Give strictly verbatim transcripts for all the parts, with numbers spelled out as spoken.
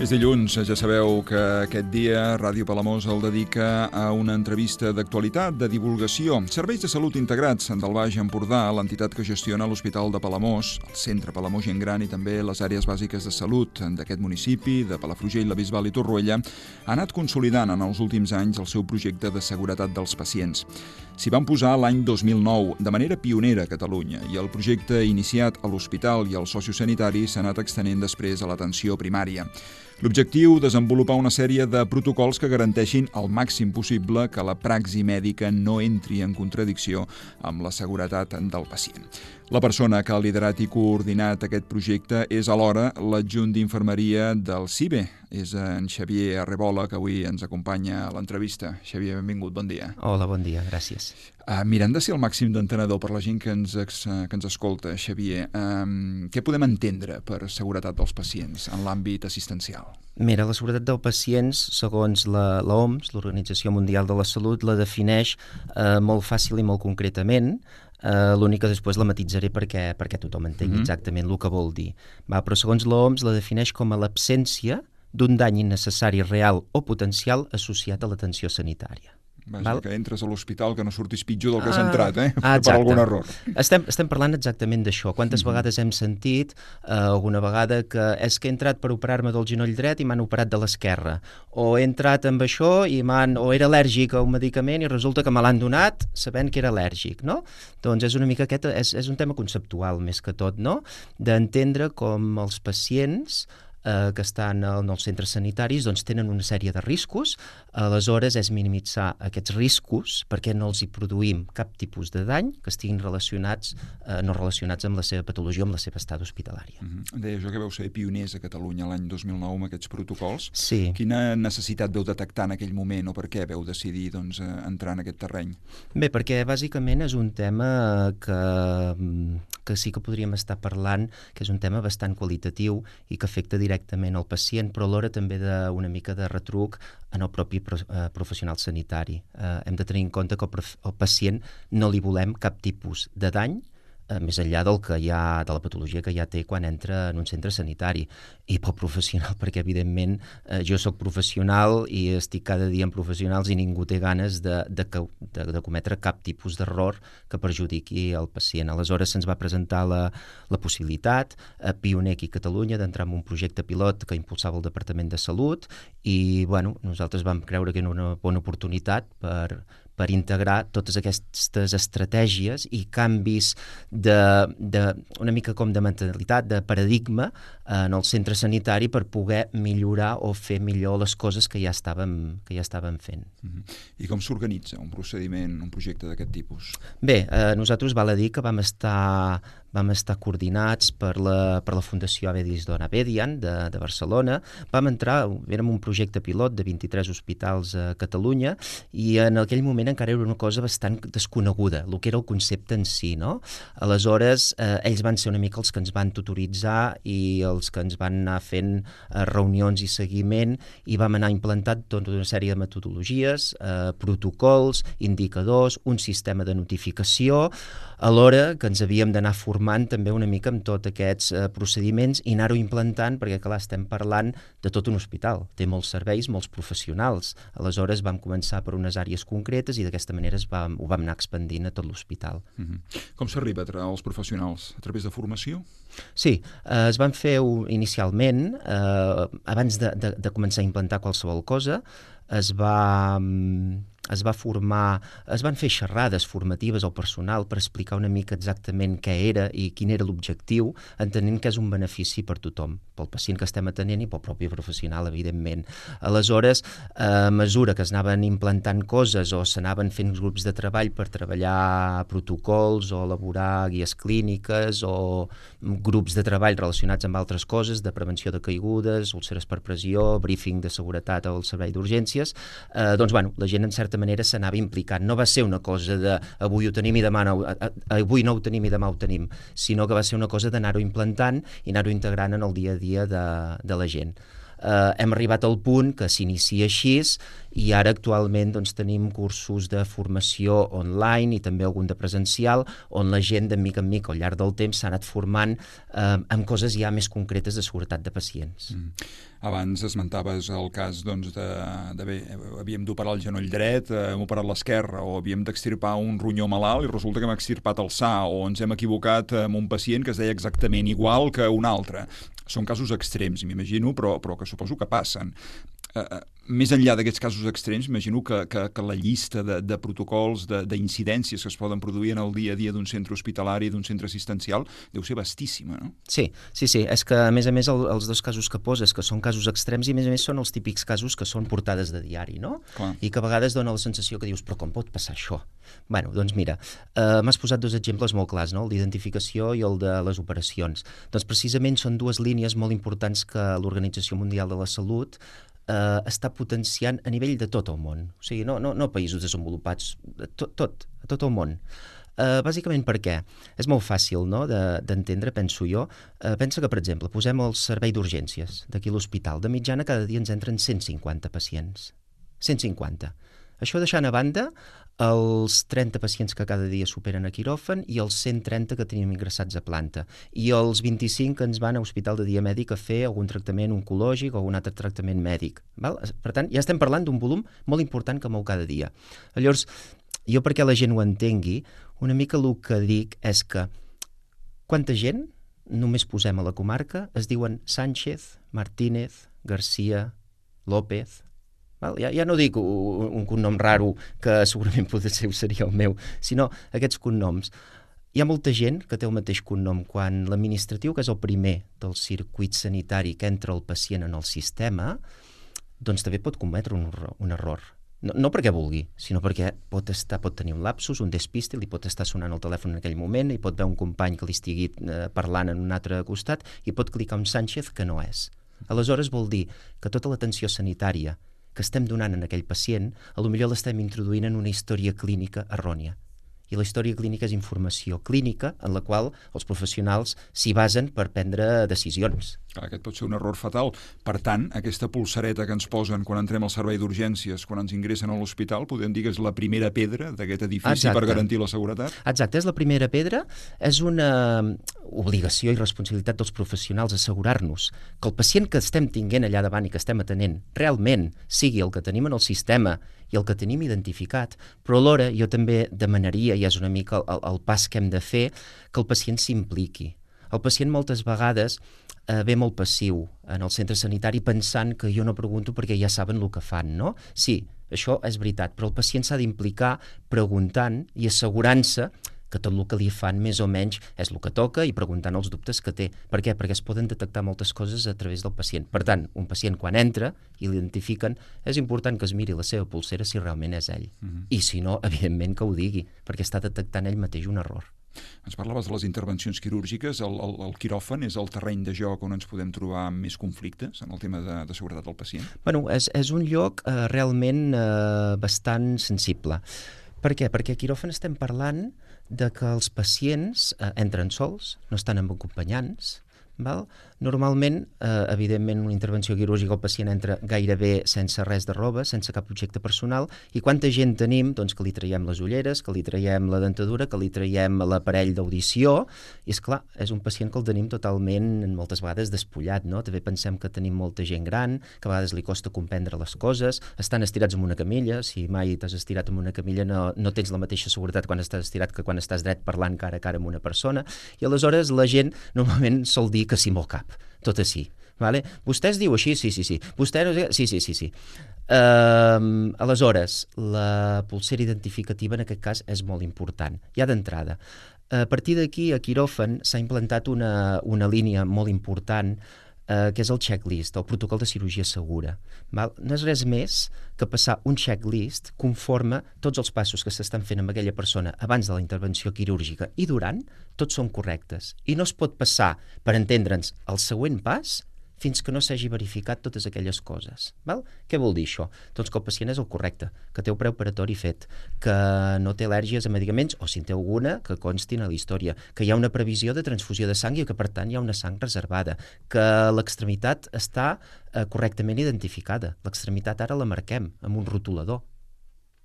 És dilluns, ja sabeu que aquest dia Ràdio Palamós el dedica a una entrevista d'actualitat, de divulgació. Serveis de salut integrats del Baix Empordà, l'entitat que gestiona l'Hospital de Palamós, el Centre Palamós Gent Gran i també les àrees bàsiques de salut d'aquest municipi, de Palafrugell, la Bisbal i Torroella, ha anat consolidant en els últims anys el seu projecte de seguretat dels pacients. S'hi van posar l'any dos mil nou, de manera pionera a Catalunya, i el projecte iniciat a l'hospital i al sociosanitari s'ha anat extenent després a l'atenció primària. L'objectiu, desenvolupar una sèrie de protocols que garanteixin al màxim possible que la praxi mèdica no entri en contradicció amb la seguretat del pacient. La persona que ha liderat i coordinat aquest projecte és alhora l'adjunt d'infermeria del C I B E. És en Xavier Arrebola, que avui ens acompanya a l'entrevista. Xavier, benvingut, bon dia. Hola, bon dia, gràcies. Uh, mirant de ser el màxim d'entenedor per la gent que ens, que ens escolta, Xavier, um, què podem entendre per seguretat dels pacients en l'àmbit assistencial? Mira, la seguretat dels pacients, segons la, la O M S, l'Organització Mundial de la Salut, la defineix eh, molt fàcil i molt concretament. Uh, l'únic que després la matitzaré perquè, perquè tothom entengui mm-hmm. exactament el que vol dir. Va, però segons l'O M S la defineix com a l'absència d'un dany innecessari real o potencial associat a l'atenció sanitària. Vaja, que entres a l'hospital que no surtis pitjor del que has ah, entrat, eh? Ah, per algun error. Estem, estem parlant exactament d'això. Quantes mm-hmm. vegades hem sentit eh, alguna vegada que és que he entrat per operar-me del genoll dret i m'han operat de l'esquerra, o he entrat amb això i m'han, o era al·lèrgic a un medicament i resulta que me l'han donat sabent que era al·lèrgic, no? Doncs és una mica aquest, és, és un tema conceptual més que tot, no? D'entendre com els pacients Eh, que estan en els centres sanitaris doncs tenen una sèrie de riscos, aleshores és minimitzar aquests riscos perquè no els hi produïm cap tipus de dany que estiguin relacionats, eh, no relacionats amb la seva patologia o amb la seva estada hospitalària. Mm-hmm. Deia jo que veu ser pioners a Catalunya l'any dos mil nou amb aquests protocols. Sí. Quina necessitat veu detectar en aquell moment o per què veu decidir doncs, entrar en aquest terreny? Bé, perquè bàsicament és un tema que, que sí que podríem estar parlant, que és un tema bastant qualitatiu i que afecta directament directament al pacient, però alhora també d'una mica de retruc en el propi professional sanitari. Eh, hem de tenir en compte que al pacient no li volem cap tipus de dany, eh, més enllà del que hi ha, de la patologia que ja té quan entra en un centre sanitari. I pel professional, perquè evidentment eh, jo sóc professional i estic cada dia amb professionals i ningú té ganes de, de, de, de cometre cap tipus d'error que perjudiqui el pacient. Aleshores se'ns va presentar la, la possibilitat, eh, pioner aquí a Catalunya, d'entrar en un projecte pilot que impulsava el Departament de Salut i bueno, nosaltres vam creure que era una bona oportunitat per per integrar totes aquestes estratègies i canvis de, de, una mica com de mentalitat, de paradigma en el centre sanitari per poder millorar o fer millor les coses que ja estàvem, que ja estàvem fent. Mm-hmm. I com s'organitza un procediment, un projecte d'aquest tipus? Bé, eh, nosaltres val a dir que vam estar vam estar coordinats per la, per la Fundació Avedis Dona Bedian de, de Barcelona. Vam entrar, érem un projecte pilot de vint-i-tres hospitals a Catalunya i en aquell moment encara era una cosa bastant desconeguda, el que era el concepte en si, no? Aleshores, eh, ells van ser una mica els que ens van tutoritzar i els que ens van anar fent eh, reunions i seguiment i vam anar implantant tota una sèrie de metodologies, eh, protocols, indicadors, un sistema de notificació, alhora que ens havíem d'anar formant també una mica amb tots aquests eh, procediments i anar-ho implantant, perquè clar, estem parlant de tot un hospital, té molts serveis, molts professionals. Aleshores vam començar per unes àrees concretes i d'aquesta manera es va, ho vam anar expandint a tot l'hospital. Mm-hmm. Com s'arriba als professionals? A través de formació? Sí, eh, es van fer inicialment, eh, abans de, de, de començar a implantar qualsevol cosa, es va... es va formar, es van fer xerrades formatives al personal per explicar una mica exactament què era i quin era l'objectiu, entenent que és un benefici per tothom, pel pacient que estem atenent i pel propi professional, evidentment. Aleshores, a mesura que es anaven implantant coses o s'anaven fent grups de treball per treballar protocols o elaborar guies clíniques o grups de treball relacionats amb altres coses, de prevenció de caigudes, úlceres per pressió, briefing de seguretat al servei d'urgències, eh, doncs, bueno, la gent en certa manera s'anava implicant. No va ser una cosa de avui ho tenim i demà no, avui no ho tenim i demà ho tenim, sinó que va ser una cosa d'anar-ho implantant i anar-ho integrant en el dia a dia de, de la gent. eh, hem arribat al punt que s'inicia així i ara actualment doncs, tenim cursos de formació online i també algun de presencial on la gent de mica en mica al llarg del temps s'ha anat formant eh, amb coses ja més concretes de seguretat de pacients. Mm. Abans esmentaves el cas doncs, de, de bé, havíem d'operar el genoll dret, hem operat l'esquerra o havíem d'extirpar un ronyó malalt i resulta que hem extirpat el sa o ens hem equivocat amb un pacient que es deia exactament igual que un altre. Són casos extrems, m'imagino, però, però que suposo que passen. Uh, més enllà d'aquests casos extrems, imagino que, que, que la llista de, de protocols, d'incidències que es poden produir en el dia a dia d'un centre hospitalari, d'un centre assistencial, deu ser vastíssima, no? Sí, sí, sí. És que, a més a més, el, els dos casos que poses, que són casos extrems, i a més a més són els típics casos que són portades de diari, no? Clar. I que a vegades dona la sensació que dius, però com pot passar això? Bueno, doncs mira, eh, m'has posat dos exemples molt clars, no? El d'identificació i el de les operacions. Doncs precisament són dues línies molt importants que l'Organització Mundial de la Salut eh, està potenciant a nivell de tot el món. O sigui, no, no, no països desenvolupats, tot, tot, a tot el món. Uh, bàsicament per què? És molt fàcil, no?, d'entendre, de, penso jo. Uh, pensa que, per exemple, posem el servei d'urgències d'aquí a l'hospital. De mitjana cada dia ens entren cent cinquanta pacients. cent cinquanta. Això deixant a banda els trenta pacients que cada dia superen a quiròfan i els cent trenta que tenim ingressats a planta. I els vint-i-cinc que ens van a hospital de dia mèdic a fer algun tractament oncològic o algun altre tractament mèdic. Val? Per tant, ja estem parlant d'un volum molt important que mou cada dia. Llavors, jo perquè la gent ho entengui, una mica el que dic és que quanta gent, només posem a la comarca, es diuen Sánchez, Martínez, García, López. Val? Ja, ja no dic un, un cognom raro que segurament potser seria el meu, sinó aquests cognoms. Hi ha molta gent que té el mateix cognom quan l'administratiu, que és el primer del circuit sanitari que entra el pacient en el sistema, doncs també pot cometre un, un error. No, no perquè vulgui, sinó perquè pot, estar, pot tenir un lapsus, un despiste, li pot estar sonant el telèfon en aquell moment, i pot veure un company que li estigui eh, parlant en un altre costat i pot clicar un Sánchez que no és. Aleshores vol dir que tota l'atenció sanitària que estem donant en aquell pacient, a lo millor l'estem introduint en una història clínica errònia. I la història clínica és informació clínica en la qual els professionals s'hi basen per prendre decisions. Clar, aquest pot ser un error fatal. Per tant, aquesta pulsareta que ens posen quan entrem al servei d'urgències, quan ens ingressen a l'hospital, podem dir que és la primera pedra d'aquest edifici. Exacte. Per garantir la seguretat? Exacte, és la primera pedra. És una obligació i responsabilitat dels professionals assegurar-nos que el pacient que estem tinguent allà davant i que estem atenent realment sigui el que tenim en el sistema i el que tenim identificat, però alhora jo també demanaria, i és una mica el, el pas que hem de fer, que el pacient s'impliqui. El pacient moltes vegades eh, ve molt passiu en el centre sanitari pensant que jo no pregunto perquè ja saben el que fan, no? Sí, això és veritat, però el pacient s'ha d'implicar preguntant i assegurant-se que tot el que li fan més o menys és el que toca i preguntant els dubtes que té. Per què? Perquè es poden detectar moltes coses a través del pacient. Per tant, un pacient quan entra i l'identifiquen, és important que es miri la seva pulsera si realment és ell. Uh-huh. I si no, evidentment que ho digui, perquè està detectant ell mateix un error. Ens parlaves de les intervencions quirúrgiques. El, el, el quiròfan és el terreny de joc on ens podem trobar més conflictes en el tema de, de seguretat del pacient? Bueno, és, és un lloc eh, realment eh, bastant sensible. Per què? Perquè a quiròfan estem parlant de que els pacients eh, entren sols, no estan amb acompanyants, val? Normalment, eh, evidentment, una intervenció quirúrgica el pacient entra gairebé sense res de roba, sense cap objecte personal, i quanta gent tenim doncs, que li traiem les ulleres, que li traiem la dentadura, que li traiem l'aparell d'audició, i és clar, és un pacient que el tenim totalment, moltes vegades, despullat, no? També pensem que tenim molta gent gran, que a vegades li costa comprendre les coses, estan estirats en una camilla, si mai t'has estirat en una camilla no, no tens la mateixa seguretat quan estàs estirat que quan estàs dret parlant cara a cara amb una persona, i aleshores la gent normalment sol dir que sí amb el cap, tot així. Vale? Vostè es diu així? Sí, sí, sí. Vostè no sé... Sí, sí, sí, sí. Uh, aleshores, la pulsera identificativa en aquest cas és molt important, ja d'entrada. A partir d'aquí, a quiròfan s'ha implantat una, una línia molt important eh, que és el checklist, el protocol de cirurgia segura. Val? No és res més que passar un checklist conforme tots els passos que s'estan fent amb aquella persona abans de la intervenció quirúrgica i durant, tots són correctes. I no es pot passar, per entendre'ns, el següent pas fins que no s'hagi verificat totes aquelles coses. Val? Què vol dir això? Doncs que el pacient és el correcte, que té el preoperatori fet, que no té al·lèrgies a medicaments, o si en té alguna, que constin a la història, que hi ha una previsió de transfusió de sang i que, per tant, hi ha una sang reservada, que l'extremitat està eh, correctament identificada. L'extremitat ara la marquem amb un rotulador.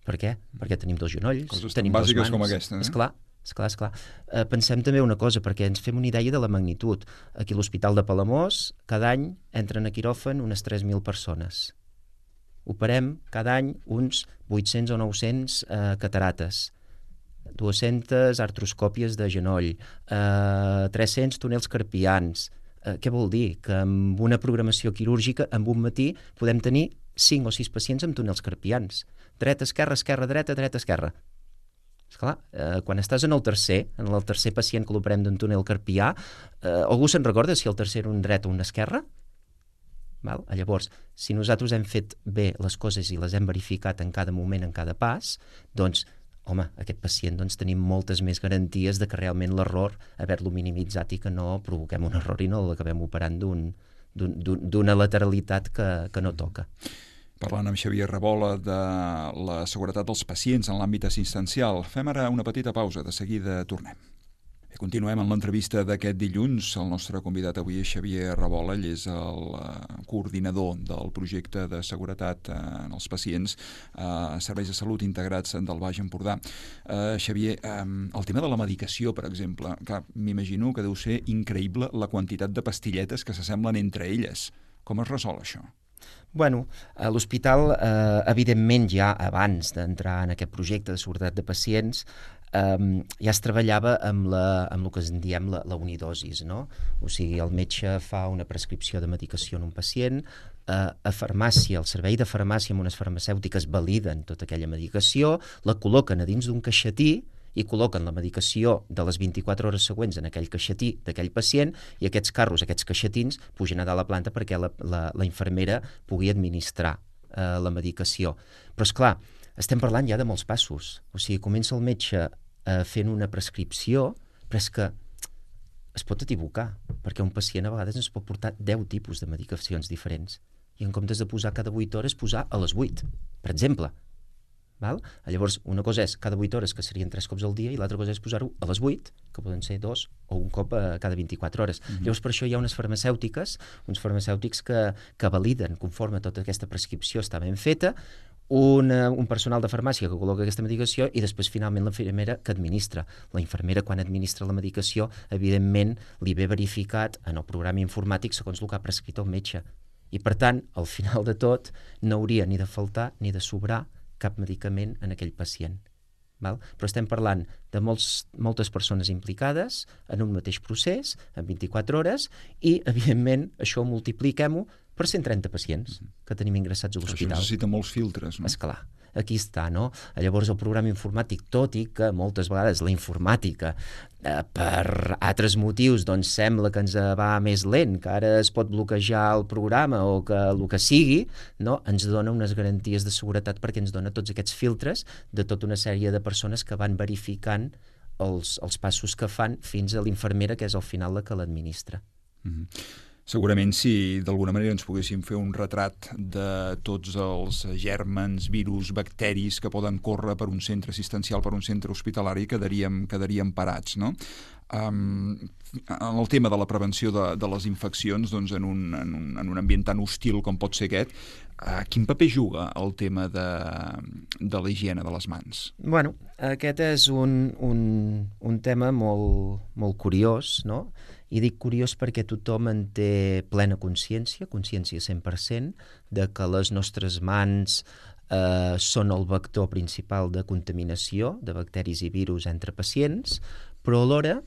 Per què? Perquè tenim dos genolls, coses tenim tan dues bàsiques mans. com aquesta, eh? Esclar, esclar, esclar. Eh, pensem també una cosa, perquè ens fem una idea de la magnitud. Aquí a l'Hospital de Palamós, cada any entren a quiròfan unes tres mil persones. Operem cada any uns vuit-cents o nou-cents eh, catarates, dues-centes artroscòpies de genoll, eh, tres-cents túnels carpians. Eh, què vol dir? Que amb una programació quirúrgica, en un matí, podem tenir cinc o sis pacients amb túnels carpians. Dreta, esquerra, esquerra, dreta, dreta, esquerra. Esclar, eh, quan estàs en el tercer, en el tercer pacient que l'operem d'un túnel carpià, eh, algú se'n recorda si el tercer era un dret o un esquerra? Val? Llavors, si nosaltres hem fet bé les coses i les hem verificat en cada moment, en cada pas, doncs, home, aquest pacient doncs, tenim moltes més garanties de que realment l'error haver-lo minimitzat i que no provoquem un error i no l'acabem operant d'un, d'un, d'una lateralitat que, que no toca. Parlant amb Xavier Rabola de la seguretat dels pacients en l'àmbit assistencial. Fem ara una petita pausa, de seguida tornem. Bé, continuem amb l'entrevista d'aquest dilluns. El nostre convidat avui és Xavier Rabola, ell és el uh, coordinador del projecte de seguretat uh, en els pacients a uh, serveis de salut integrats del Baix Empordà. Uh, Xavier, um, el tema de la medicació, per exemple, clar, m'imagino que deu ser increïble la quantitat de pastilletes que s'assemblen entre elles. Com es resol això? Bueno, a l'hospital, eh, evidentment, ja abans d'entrar en aquest projecte de seguretat de pacients, eh, ja es treballava amb, la, amb el que en diem la, la unidosis, no? O sigui, el metge fa una prescripció de medicació en un pacient, eh, a farmàcia, el servei de farmàcia amb unes farmacèutiques validen tota aquella medicació, la col·loquen a dins d'un caixetí i col·loquen la medicació de les vint-i-quatre hores següents en aquell caixetí d'aquell pacient i aquests carros, aquests caixetins, pugen a dalt la planta perquè la, la, la infermera pugui administrar eh, la medicació. Però, és clar, estem parlant ja de molts passos. O sigui, comença el metge eh, fent una prescripció, però és que es pot equivocar, perquè un pacient a vegades ens pot portar deu tipus de medicacions diferents. I en comptes de posar cada vuit hores, posar a les vuit, per exemple. Val? Llavors, una cosa és cada vuit hores, que serien tres cops al dia, i l'altra cosa és posar-ho a les vuit, que poden ser dos o un cop a cada vint-i-quatre hores. Mm-hmm. Llavors, per això hi ha unes farmacèutiques, uns farmacèutics que, que validen conforme tota aquesta prescripció està ben feta, una, un personal de farmàcia que col·loca aquesta medicació i després, finalment, l'infermera que administra. La infermera, quan administra la medicació, evidentment, li ve verificat en el programa informàtic segons el que ha prescrit el metge. I, per tant, al final de tot, no hauria ni de faltar ni de sobrar cap medicament en aquell pacient. Val? Però estem parlant de molts, moltes persones implicades en un mateix procés, en vint-i-quatre hores, i, evidentment, això multipliquem-ho per cent trenta pacients que tenim ingressats a l'hospital. Això necessita molts filtres, no? Esclar. Aquí està, no? Llavors el programa informàtic, tot i que moltes vegades la informàtica eh, per altres motius doncs sembla que ens va més lent, que ara es pot bloquejar el programa o que el que sigui, no? Ens dona unes garanties de seguretat perquè ens dona tots aquests filtres de tota una sèrie de persones que van verificant els, els passos que fan fins a l'infermera, que és al final la que l'administra. Mm-hmm. Segurament si d'alguna manera ens poguéssim fer un retrat de tots els gèrmens, virus, bacteris que poden córrer per un centre assistencial, per un centre hospitalari, quedaríem, quedaríem parats, no? Um, en el tema de la prevenció de, de les infeccions, doncs en, un, en, un, en un ambient tan hostil com pot ser aquest, uh, quin paper juga el tema de, de la higiene de les mans? Bueno, aquest és un, un, un tema molt, molt curiós, no? I dic curiós perquè tothom en té plena consciència, consciència cent per cent, de que les nostres mans eh, són el vector principal de contaminació de bacteris i virus entre pacients, però alhora,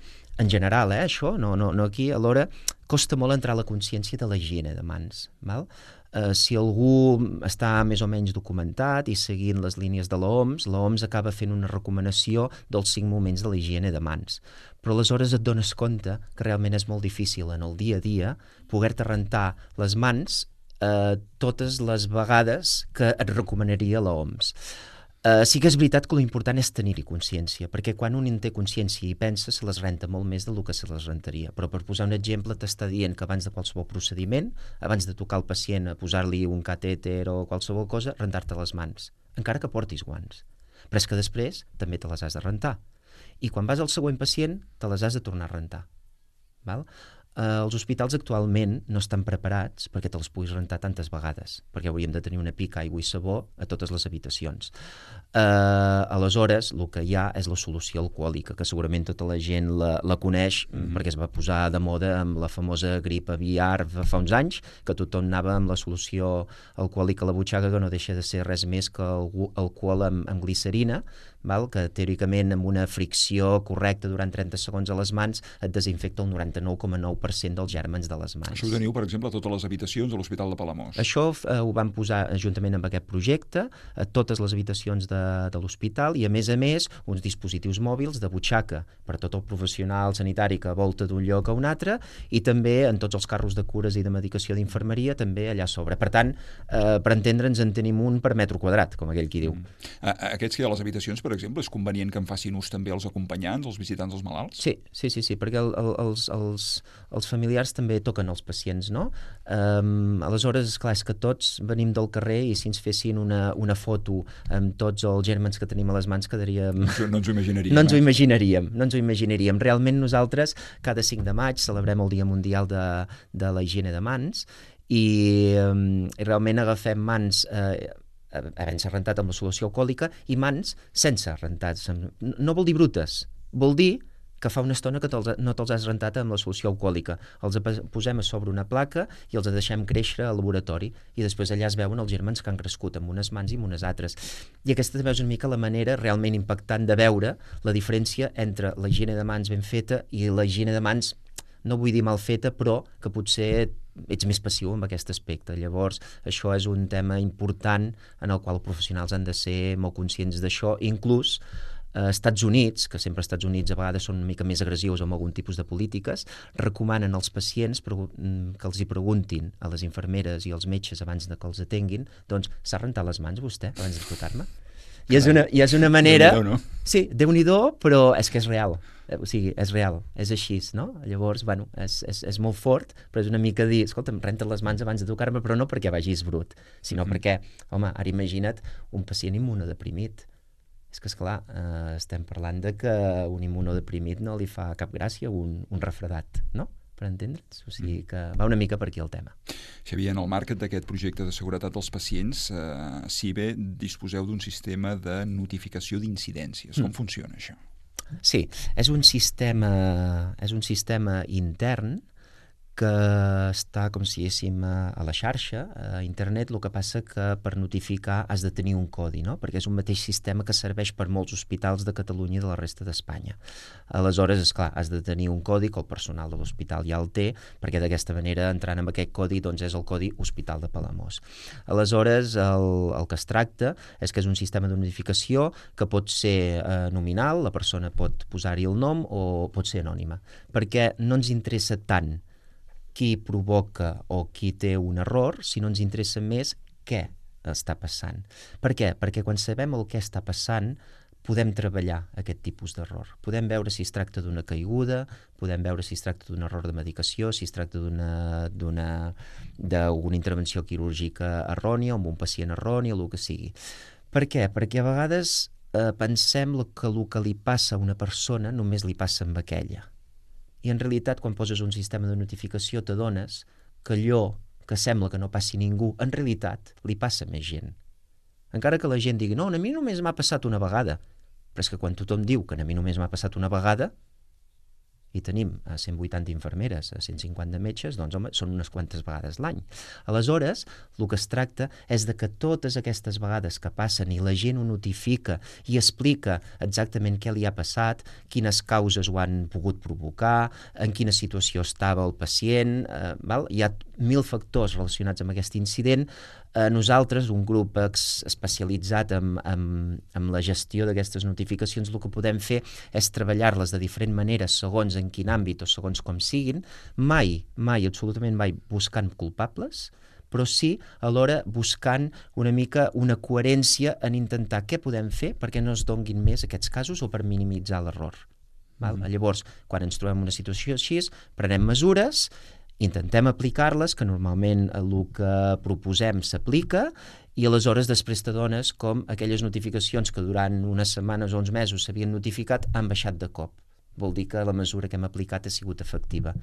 en general, eh, això, no, no, no aquí, alhora costa molt entrar a la consciència de la higiene de mans, val? Eh, si algú està més o menys documentat i seguint les línies de l'O M S, l'O M S acaba fent una recomanació dels cinc moments de la higiene de mans. Però aleshores et dones compte que realment és molt difícil en el dia a dia poder-te rentar les mans eh, totes les vegades que et recomanaria l'O M S. Uh, sí que és veritat que l'important és tenir-hi consciència, perquè quan un en té consciència i pensa, se les renta molt més del que se les rentaria. Però per posar un exemple, t'està dient que abans de qualsevol procediment, abans de tocar el pacient a posar-li un catèter o qualsevol cosa, rentar-te les mans, encara que portis guants. Però és que després també te les has de rentar. I quan vas al següent pacient, te les has de tornar a rentar. Val? Uh, els hospitals actualment no estan preparats perquè te les puguis rentar tantes vegades, perquè hauríem de tenir una pica, aigua i sabó a totes les habitacions. Uh, aleshores, el que hi ha és la solució alcohòlica, que segurament tota la gent la, la coneix, mm-hmm. perquè es va posar de moda amb la famosa grip aviar fa uns anys, que tothom anava amb la solució alcohòlica a la butxaca, que no deixa de ser res més que alcohol amb, amb glicerina, val? Que teòricament amb una fricció correcta durant trenta segons a les mans et desinfecta el noranta-nou coma nou per cent dels gèrmens de les mans. Això ho teniu, per exemple, a totes les habitacions de l'Hospital de Palamós. Això eh, ho vam posar juntament amb aquest projecte a totes les habitacions de, de l'hospital i, a més a més, uns dispositius mòbils de butxaca per tot el professional sanitari que volta d'un lloc a un altre i també en tots els carros de cures i de medicació d'infermeria també allà a sobre. Per tant, eh, per entendre'ns, en tenim un per metro quadrat, com aquell qui diu. Mm. Aquests que hi ha a les habitacions, per exemple, és convenient que en facin ús també els acompanyants, els visitants dels malalts? Sí, sí, sí, sí, perquè el, el, els, els, els familiars també toquen els pacients, no? Um, aleshores, esclar, és que tots venim del carrer i si ens fessin una, una foto amb tots els gèrmens que tenim a les mans quedaríem... No, no ens ho imaginaríem. No ens ho eh? imaginaríem, no ens ho imaginaríem. Realment nosaltres, cada cinc de maig, celebrem el Dia Mundial de, de la Higiene de Mans i, um, i realment agafem mans... Eh, havent-se rentat amb la solució alcohòlica i mans sense rentar. No vol dir brutes, vol dir que fa una estona que te'ls, no te'ls has rentat amb la solució alcohòlica. Els posem a sobre una placa i els deixem créixer al laboratori i després allà es veuen els gèrmens que han crescut amb unes mans i amb unes altres. I aquesta també és una mica la manera realment impactant de veure la diferència entre la higiene de mans ben feta i la higiene de mans, no vull dir mal feta, però que potser ets més passiu en aquest aspecte. Llavors, això és un tema important en el qual els professionals han de ser molt conscients d'això. Inclús als eh, Estats Units, que sempre als Estats Units a vegades són una mica més agressius amb algun tipus de polítiques, recomanen als pacients que els hi preguntin a les infermeres i als metges abans de que els atenguin, doncs, s'ha rentat les mans vostè abans de tocar-me? I és una, i és una manera... Déu-n'hi-do, no? Sí, Déu-n'hi-do, però és que és real. O sigui, és real, és així, no? Llavors, bueno, és, és, és molt fort, però és una mica dir, escolta'm, renta't les mans abans de tocar-me, però no perquè vagis brut, sinó mm-hmm. perquè, home, ara imagina't un pacient immunodeprimit. És que, esclar, eh, estem parlant de que un immunodeprimit no li fa cap gràcia un, un refredat, no? Per entendre'ns? O sigui que va una mica per aquí el tema. Xavier, en el marc d'aquest projecte de seguretat dels pacients, eh, si bé disposeu d'un sistema de notificació d'incidències. Com mm. funciona això? Sí, és un sistema, és un sistema intern que està, com si diguéssim, a la xarxa, a internet. El que passa que per notificar has de tenir un codi, no? Perquè és un mateix sistema que serveix per molts hospitals de Catalunya i de la resta d'Espanya. Aleshores, esclar, has de tenir un codi que el personal de l'hospital ja el té, perquè d'aquesta manera, entrant amb aquest codi, doncs és el codi Hospital de Palamós. Aleshores, el, el que es tracta és que és un sistema de notificació que pot ser eh, nominal, la persona pot posar-hi el nom o pot ser anònima, perquè no ens interessa tant qui provoca o qui té un error, si no ens interessa més què està passant. Per què? Perquè quan sabem el què està passant, podem treballar aquest tipus d'error. Podem veure si es tracta d'una caiguda, podem veure si es tracta d'un error de medicació, si es tracta d'una d'una d'una intervenció quirúrgica errònia, amb un pacient erroni, o el que sigui. Per què? Perquè a vegades eh, pensem que el que li passa a una persona només li passa amb aquella. I en realitat, quan poses un sistema de notificació, t'adones que allò que sembla que no passi ningú, en realitat li passa a més gent. Encara que la gent digui, no, a mi només m'ha passat una vegada, però és que quan tothom diu que a mi només m'ha passat una vegada, i tenim a cent vuitanta infermeres, a cent cinquanta metges, doncs home, són unes quantes vegades l'any. Aleshores, el que es tracta és de que totes aquestes vegades que passen i la gent ho notifica i explica exactament què li ha passat, quines causes ho han pogut provocar, en quina situació estava el pacient, eh, val? Hi ha mil factors relacionats amb aquest incident. Eh, nosaltres, un grup ex especialitzat en, en, en la gestió d'aquestes notificacions, el que podem fer és treballar-les de diferent manera segons en quin àmbit o segons com siguin, mai, mai, absolutament mai buscant culpables, però sí alhora buscant una mica una coherència en intentar què podem fer perquè no es donguin més aquests casos o per minimitzar l'error. Val? Mm-hmm. Llavors, quan ens trobem en una situació així, prenem mesures, intentem aplicar-les, que normalment el que proposem s'aplica, i aleshores després t'adones com aquelles notificacions que durant unes setmanes o uns mesos s'havien notificat han baixat de cop. Vol dir que la mesura que hem aplicat ha sigut efectiva.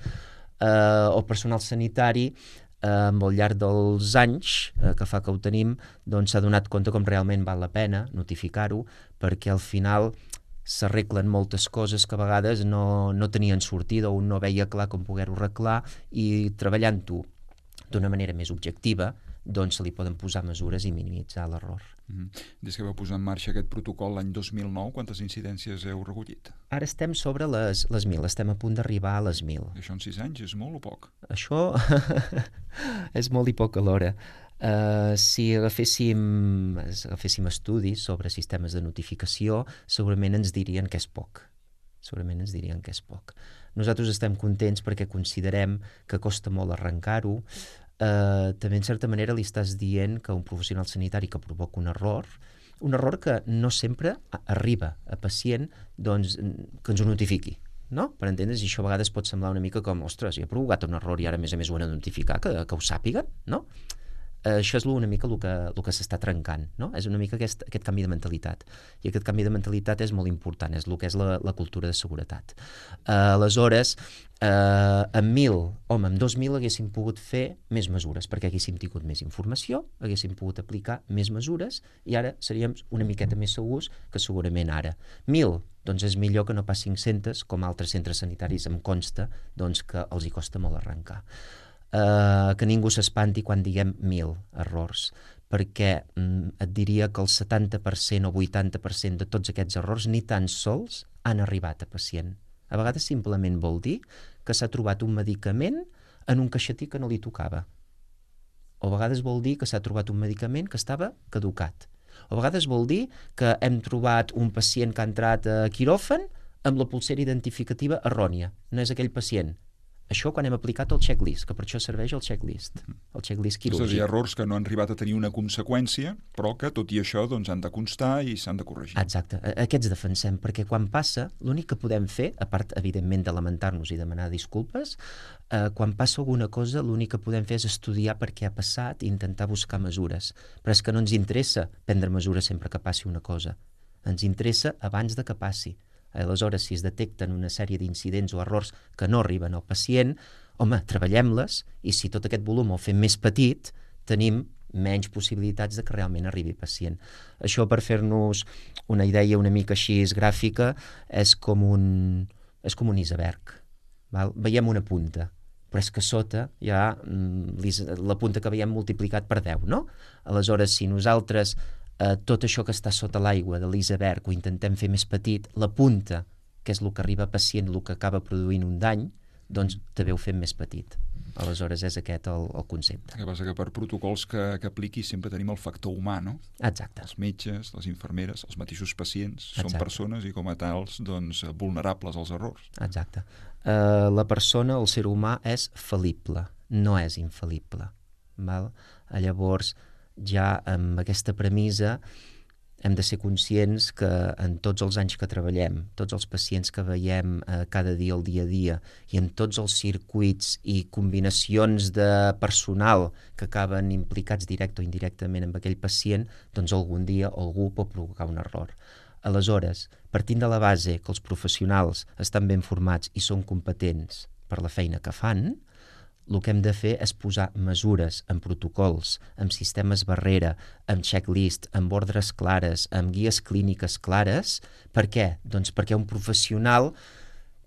Uh, el personal sanitari, uh, al llarg dels anys uh, que fa que ho tenim, doncs s'ha donat compte com realment val la pena notificar-ho, perquè al final s'arreglen moltes coses que a vegades no, no tenien sortida o un no veia clar com poder-ho arreglar, i treballant-ho d'una manera més objectiva doncs se li poden posar mesures i minimitzar l'error. Mm-hmm. Des que vau posar en marxa aquest protocol l'any dos mil nou, quantes incidències heu recollit? Ara estem sobre les, les mil, estem a punt d'arribar a les mil. I això en sis anys és molt o poc? Això és molt i poc alhora. Uh, si agaféssim, agaféssim estudis sobre sistemes de notificació, segurament ens dirien que és poc. Segurament ens dirien que és poc. Nosaltres estem contents perquè considerem que costa molt arrencar-ho. Uh, també, en certa manera, li estàs dient que un professional sanitari que provoca un error, un error que no sempre arriba a pacient, doncs, que ens ho notifiqui. No? Per entendre's, i això a vegades pot semblar una mica com, ostres, jo he provocat un error i ara a més a més ho han de notificar, que, que ho sàpiguen, no? Uh, això és una mica el que, el que s'està trencant, no? És una mica aquest, aquest canvi de mentalitat, i aquest canvi de mentalitat és molt important, és el que és la, la cultura de seguretat. Uh, aleshores, uh, amb mil, home, amb dos mil haguéssim pogut fer més mesures, perquè haguéssim tingut més informació, haguéssim pogut aplicar més mesures, i ara seríem una miqueta més segurs que segurament ara. Mil, doncs és millor que no pas cinc-centes, com altres centres sanitaris em consta, doncs que els hi costa molt arrencar. Uh, que ningú s'espanti quan diguem mil errors, perquè mm, et diria que el setanta per cent o vuitanta per cent de tots aquests errors ni tan sols han arribat a pacient. A vegades simplement vol dir que s'ha trobat un medicament en un caixetí que no li tocava. O a vegades vol dir que s'ha trobat un medicament que estava caducat. O a vegades vol dir que hem trobat un pacient que ha entrat a quiròfan amb la pulsera identificativa errònia. No és aquell pacient. Això quan hem aplicat el checklist, que per això serveix el checklist, el checklist quirúrgic. És a dir, errors que no han arribat a tenir una conseqüència, però que tot i això doncs, han de constar i s'han de corregir. Exacte, aquests defensem, perquè quan passa, l'únic que podem fer, a part, evidentment, de lamentar-nos i demanar disculpes, eh, quan passa alguna cosa, l'únic que podem fer és estudiar per què ha passat i intentar buscar mesures. Però és que no ens interessa prendre mesures sempre que passi una cosa. Ens interessa abans de que passi. Aleshores, si es detecten una sèrie d'incidents o errors que no arriben al pacient, home, treballem-les, i si tot aquest volum el fem més petit, tenim menys possibilitats de que realment arribi al pacient. Això, per fer-nos una idea una mica així gràfica, és com un, és com un iceberg. Val? Veiem una punta, però és que sota hi ha la punta que veiem multiplicat per deu, no? Aleshores, si nosaltres Uh, tot això que està sota l'aigua de l'iceberg ho intentem fer més petit, la punta, que és el que arriba a pacient, el que acaba produint un dany, doncs també ho fem més petit. Aleshores és aquest el, el concepte. El que passa que per protocols que, que apliqui sempre tenim el factor humà, no? Exacte. Els metges, les infermeres, els mateixos pacients, Exacte. Són persones i com a tals doncs, vulnerables als errors. Exacte. Uh, la persona, el ser humà, és fal·lible, no és infal·lible. Val? Llavors, ja amb aquesta premissa hem de ser conscients que en tots els anys que treballem, tots els pacients que veiem eh, cada dia al dia a dia i en tots els circuits i combinacions de personal que acaben implicats directe o indirectament amb aquell pacient, doncs algun dia algú pot provocar un error. Aleshores, partint de la base que els professionals estan ben formats i són competents per la feina que fan, el que hem de fer és posar mesures en protocols, amb sistemes barrera, amb checklist, amb ordres clares, amb guies clíniques clares. Per què? Doncs perquè un professional,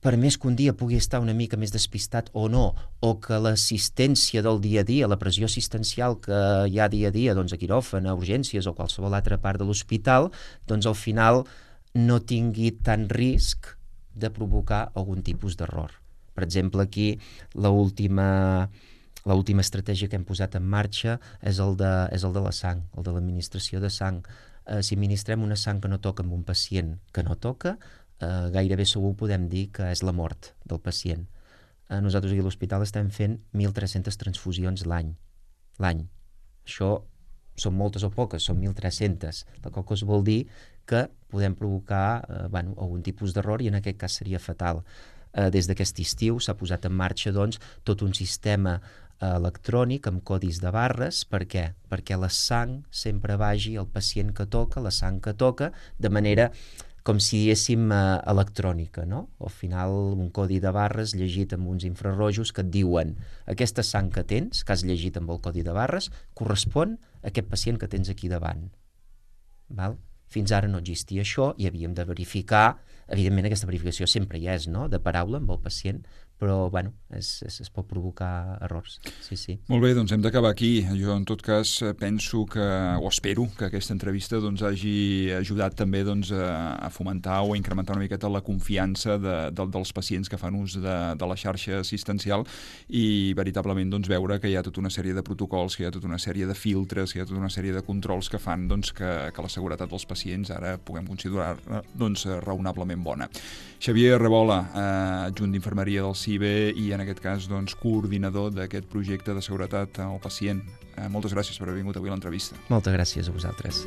per més que un dia pugui estar una mica més despistat o no, o que l'assistència del dia a dia, la pressió assistencial que hi ha dia a dia, doncs a quiròfan, a urgències o qualsevol altra part de l'hospital, doncs al final no tingui tant risc de provocar algun tipus d'error. Per exemple, aquí l'última l'última estratègia que hem posat en marxa és el de, és el de la sang, el de l'administració de sang. Eh, si administrem una sang que no toca amb un pacient que no toca, eh, gairebé segur podem dir que és la mort del pacient. Eh, nosaltres aquí a l'hospital estem fent mil tres-centes transfusions l'any. l'any. Això són moltes o poques, són mil tres-centes, la qual cosa vol dir que podem provocar eh, bueno, algun tipus d'error i en aquest cas seria fatal. Eh, des d'aquest estiu s'ha posat en marxa doncs, tot un sistema eh, electrònic amb codis de barres. Per què? Perquè la sang sempre vagi al pacient que toca, la sang que toca, de manera com si diguéssim eh, electrònica, no? Al final un codi de barres llegit amb uns infrarrojos que et diuen aquesta sang que tens, que has llegit amb el codi de barres, correspon a aquest pacient que tens aquí davant. Val? Fins ara no existia això i havíem de verificar, evidentment aquesta verificació sempre hi és, no?, de paraula amb el pacient, però bueno, es, es, es pot provocar errors. Sí, sí. Molt bé, doncs hem d'acabar aquí. Jo en tot cas penso que, o espero que aquesta entrevista doncs, hagi ajudat també doncs, a, a fomentar o a incrementar una miqueta la confiança de, de, dels pacients que fan ús de, de la xarxa assistencial i veritablement doncs, veure que hi ha tota una sèrie de protocols, que hi ha tota una sèrie de filtres, que hi ha tota una sèrie de controls que fan doncs, que, que la seguretat dels pacients ara puguem considerar doncs, raonablement bona. Xavier Rebola, eh, adjunt d'infermeria del C I B E i en aquest cas doncs, coordinador d'aquest projecte de seguretat al pacient. Eh, moltes gràcies per haver vingut avui a l'entrevista. Moltes gràcies a vosaltres.